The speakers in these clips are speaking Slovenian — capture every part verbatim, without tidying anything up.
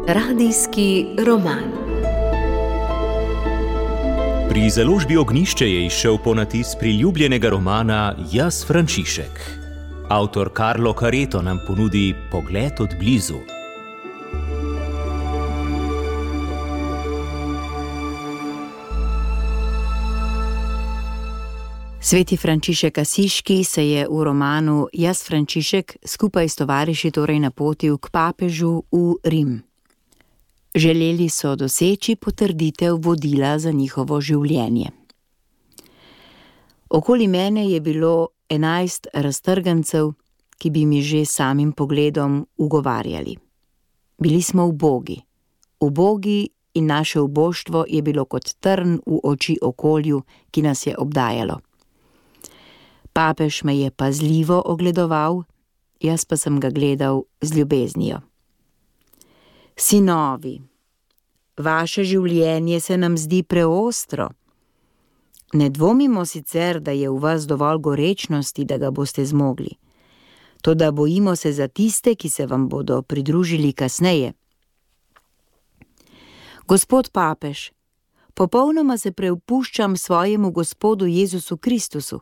Radijski roman. Pri založbi Ognjišče je izšel ponatis priljubljenega romana Jaz, Frančišek. Avtor Carlo Careto nam ponudi pogled od blizu. Sveti Frančišek Asiški se je v romanu Jaz, Frančišek skupaj s tovariši torej napotil k papežu v Rim. Želeli so doseči potrditev vodila za njihovo življenje. Okoli mene je bilo enajst raztrgancev, ki bi mi že samim pogledom ugovarjali. Bili smo ubogi. Ubogi in naše uboštvo je bilo kot trn v oči okolju, ki nas je obdajalo. Papež me je pazljivo ogledoval, jaz pa sem ga gledal z ljubeznijo. Sinovi, vaše življenje se nam zdi preostro. Ne dvomimo sicer, da je v vas dovolj gorečnosti, da ga boste zmogli. Toda bojimo se za tiste, ki se vam bodo pridružili kasneje. Gospod papež, popolnoma se preupuščam svojemu Gospodu Jezusu Kristusu.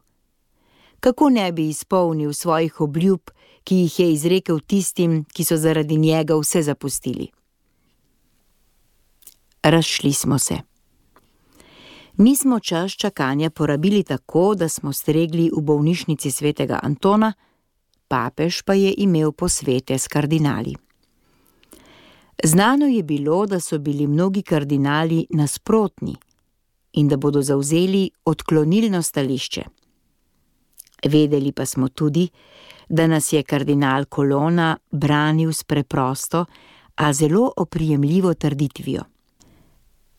Kako ne bi izpolnil svojih obljub, ki jih je izrekel tistim, ki so zaradi njega vse zapustili? Razšli smo se. Mi smo čas čakanja porabili tako, da smo stregli v bolnišnici svetega Antona, papež pa je imel posvete s kardinali. Znano je bilo, da so bili mnogi kardinali nasprotni in da bodo zavzeli odklonilno stališče. Vedeli pa smo tudi, da nas je kardinal Colonna branil s preprosto, a zelo oprijemljivo trditvijo.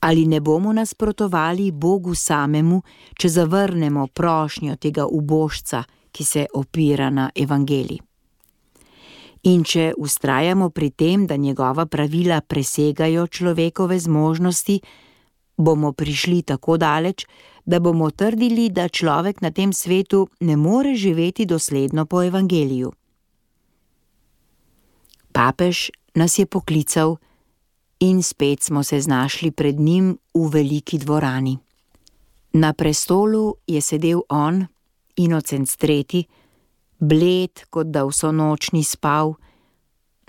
Ali ne bomo nasprotovali Bogu samemu, če zavrnemo prošnjo tega ubožca, ki se opira na evangelij? In če vztrajamo pri tem, da njegova pravila presegajo človekove zmožnosti, bomo prišli tako daleč, da bomo trdili, da človek na tem svetu ne more živeti dosledno po evangeliju. Papež nas je poklical in spet smo se znašli pred njim v veliki dvorani. Na prestolu je sedel on, Inocenc tretji, bled, kot da vso noč ni spal,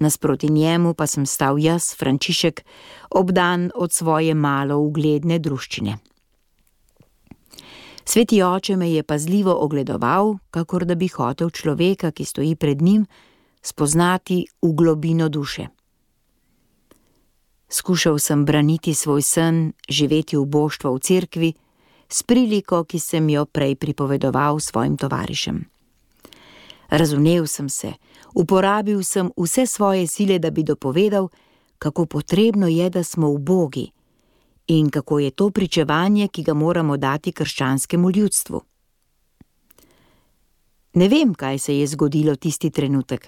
nasproti njemu pa sem stal jaz, Frančišek, obdan od svoje malo ugledne druščine. Sveti oče me je pazljivo ogledoval, kakor da bi hotel človeka, ki stoji pred njim, spoznati v globino duše. Skušal sem braniti svoj sen, živeti uboštvo v cerkvi, s priliko, ki sem jo prej pripovedoval svojim tovarišem. Razumel sem se, uporabil sem vse svoje sile, da bi dopovedal, kako potrebno je, da smo ubogi in kako je to pričevanje, ki ga moramo dati krščanskemu ljudstvu. Ne vem, kaj se je zgodilo tisti trenutek.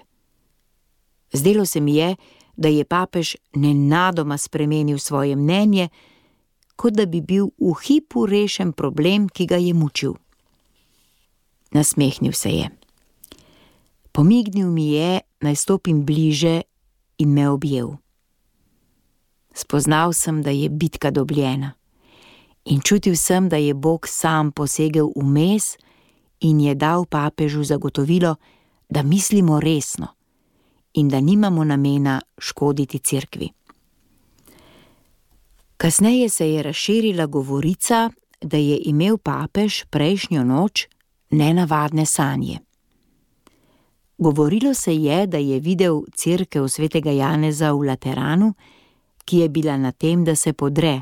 Zdelo se mi je, da je papež nenadoma spremenil svoje mnenje, kot da bi bil v hipu rešen problem, ki ga je mučil. Nasmehnil se je. Pomignil mi je, naj stopim bliže in me objel. Spoznal sem, da je bitka dobljena in čutil sem, da je Bog sam posegel vmes in je dal papežu zagotovilo, da mislimo resno in da nimamo namena škoditi cerkvi. Kasneje se je razširila govorica, da je imel papež prejšnjo noč nenavadne sanje. Govorilo se je, da je videl cerkev svetega Janeza v Lateranu, ki je bila na tem, da se podre,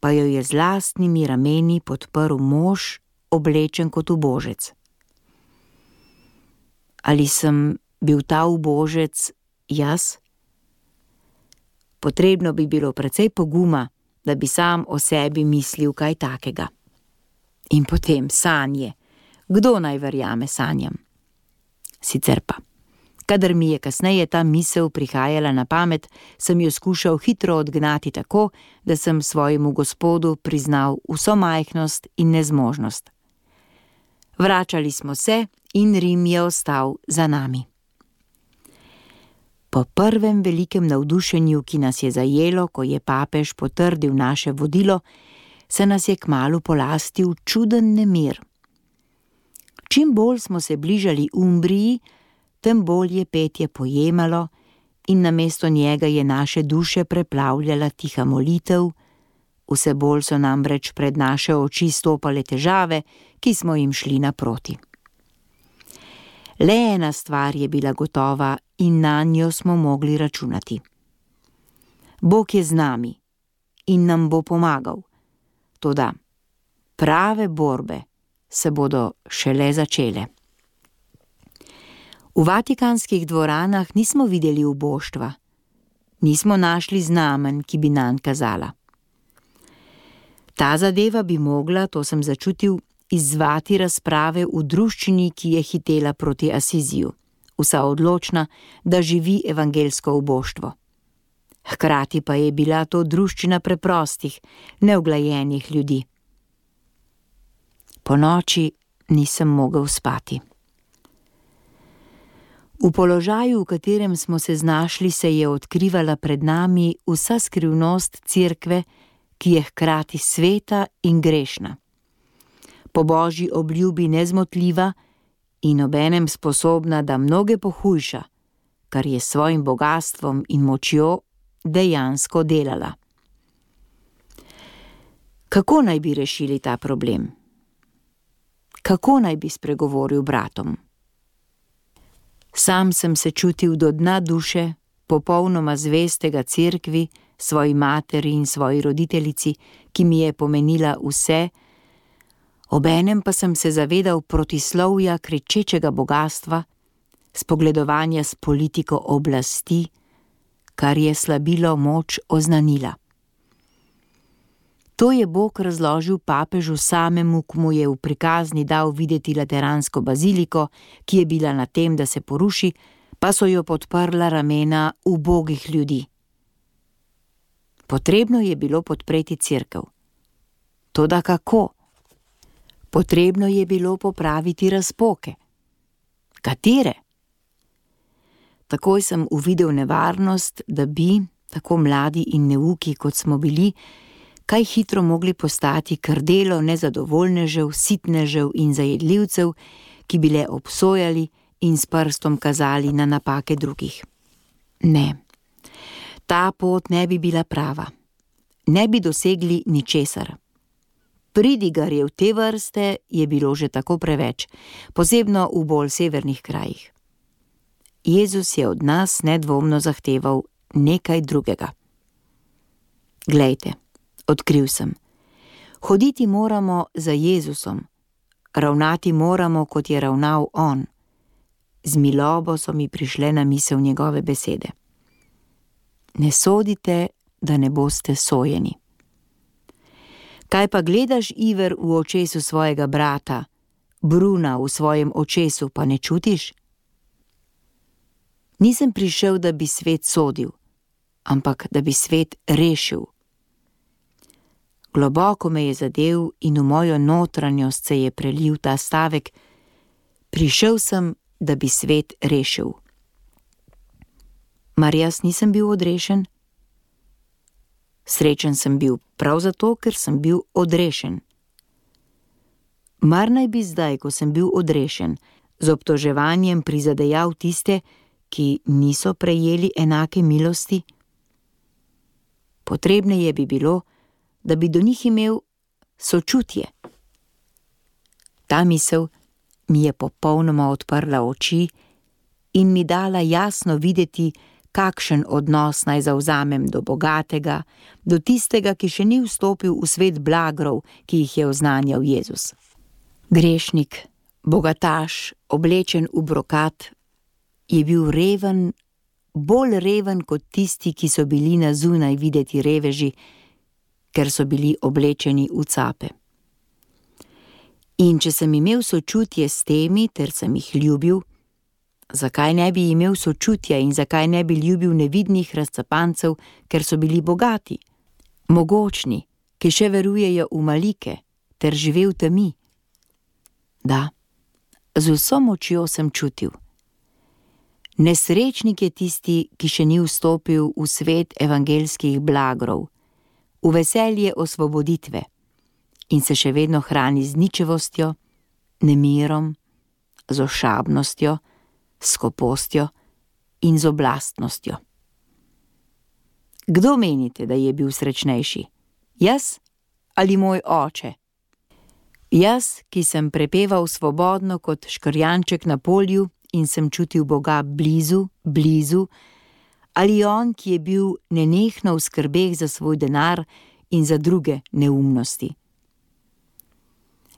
pa jo je z lastnimi rameni podprl mož, oblečen kot ubožec. Ali sem bil ta ubožec jaz? Potrebno bi bilo precej poguma, da bi sam o sebi mislil kaj takega. In potem sanje. Kdo naj verjame sanjam? Sicer pa, kadar mi je kasneje ta misel prihajala na pamet, sem jo skušal hitro odgnati tako, da sem svojemu Gospodu priznal vso majhnost in nezmožnost. Vračali smo se in Rim je ostal za nami. Po prvem velikem navdušenju, ki nas je zajelo, ko je papež potrdil naše vodilo, se nas je kmalu polastil čuden nemir. Čim bolj smo se bližali Umbriji, tem bolj je petje pojemalo in namesto njega je naše duše preplavljala tiha molitev, vse bolj so namreč pred naše oči stopale težave, ki smo jim šli naproti. Le ena stvar je bila gotova in na njo smo mogli računati. Bog je z nami in nam bo pomagal, toda prave borbe se bodo šele začele. V vatikanskih dvoranah nismo videli uboštva, nismo našli znamen, ki bi nanj kazala. Ta zadeva bi mogla, to sem začutil, izzvati razprave v druščini, ki je hitela proti Asiziju, vsa odločna, da živi evangelsko uboštvo. Hkrati pa je bila to druščina preprostih, neuglajenih ljudi. Po noči nisem mogel spati. V položaju, v katerem smo se znašli, se je odkrivala pred nami vsa skrivnost cerkve, ki je hkrati sveta in grešna. Po božji obljubi nezmotljiva in obenem sposobna, da mnoge pohujša, kar je s svojim bogastvom in močjo dejansko delala. Kako naj bi rešili ta problem? Kako naj bi spregovoril bratom? Sam sem se čutil do dna duše, popolnoma zvestega cerkvi, svoji materi in svoji roditeljici, ki mi je pomenila vse, obenem pa sem se zavedal protislovja kričečega bogastva, spogledovanja s politiko oblasti, kar je slabilo moč oznanila. To je Bog razložil papežu samemu, ko mu je v prikazni dal videti lateransko baziliko, ki je bila na tem, da se poruši, pa so jo podprla ramena ubogih ljudi. Potrebno je bilo podpreti cerkev. Toda kako? Potrebno je bilo popraviti razpoke. Katere? Takoj sem uvidel nevarnost, da bi, tako mladi in neuki, kot smo bili, kaj hitro mogli postati krdelo nezadovoljnežev, sitnežev in zajedljivcev, ki bi le obsojali in s prstom kazali na napake drugih. Ne, ta pot ne bi bila prava. Ne bi dosegli ničesar. Pridigarjev te vrste je bilo že tako preveč, posebno v bolj severnih krajih. Jezus je od nas nedvomno zahteval nekaj drugega. Glejte, odkril sem. Hoditi moramo za Jezusom, ravnati moramo, kot je ravnal on. Z milobo so mi prišle na misel njegove besede. Ne sodite, da ne boste sojeni. Kaj pa gledaš iver v očesu svojega brata, bruna v svojem očesu pa ne čutiš? Nisem prišel, da bi svet sodil, ampak da bi svet rešil. Globoko me je zadel in v mojo notranjost se je prelil ta stavek: prišel sem, da bi svet rešil. Mar jaz nisem bil odrešen? Srečen sem bil prav zato, ker sem bil odrešen. Mar naj bi zdaj, ko sem bil odrešen, z obtoževanjem prizadejal tiste, ki niso prejeli enake milosti? Potrebneje bi bilo, da bi do njih imel sočutje. Ta misel mi je popolnoma odprla oči in mi dala jasno videti, kakšen odnos naj zavzamem do bogatega, do tistega, ki še ni vstopil v svet blagrov, ki jih je oznanjal Jezus. Grešnik, bogataš, oblečen v brokat, je bil reven, bolj reven kot tisti, ki so bili na zunaj videti reveži, ker so bili oblečeni v cape. In če sem imel sočutje s temi, ter sem jih ljubil, zakaj ne bi imel sočutja in zakaj ne bi ljubil nevidnih razcapancev, ker so bili bogati, mogočni, ki še verujejo v malike, ter žive v temi? Da, Z vso močjo sem čutil. Nesrečnik je tisti, ki še ni vstopil v svet evangeljskih blagrov, v veselje osvoboditve in se še vedno hrani z ničevostjo, nemirom, z ošabnostjo, skopostjo in z oblastnostjo. Kdo menite, da je bil srečnejši? Jaz ali moj oče? Jaz, ki sem prepeval svobodno kot škrjanček na polju in sem čutil Boga blizu, blizu, ali on, ki je bil nenehno v skrbeh za svoj denar in za druge neumnosti?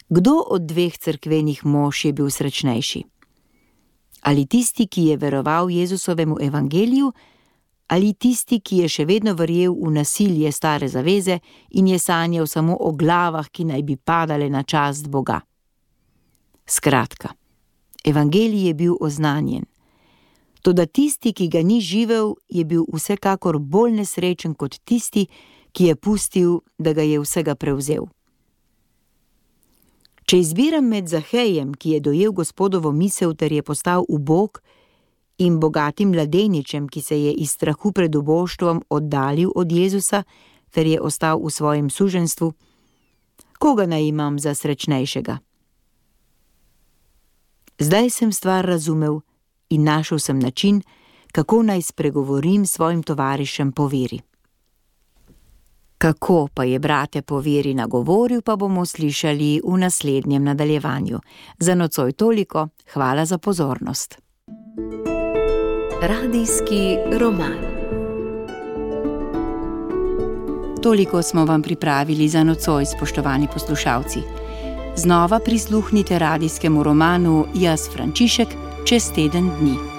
Kdo od dveh cerkvenih mož je bil srečnejši? Ali tisti, ki je veroval Jezusovemu evangeliju, ali tisti, ki je še vedno verjel v nasilje stare zaveze in je sanjal samo o glavah, ki naj bi padale na čast Boga? Skratka, evangelij je bil oznanjen, toda tisti, ki ga ni živel, je bil vsekakor bolj nesrečen kot tisti, ki je pustil, da ga je vsega prevzel. Če izbiram med Zahejem, ki je dojel Gospodovo misel ter je postal ubog, in bogatim mladeničem, ki se je iz strahu pred uboštvom oddaljil od Jezusa ter je ostal v svojem suženjstvu, koga naj imam za srečnejšega? Zdaj sem stvar razumel in našel sem način, kako naj spregovorim svojim tovarišem po veri. Kako pa je brate po veri nagovoril, pa bomo slišali v naslednjem nadaljevanju. Za nocoj toliko, hvala za pozornost. Radijski roman. Toliko smo vam pripravili za nocoj, spoštovani poslušalci. Znova prisluhnite radijskemu romanu Jaz Frančišek čez teden dni.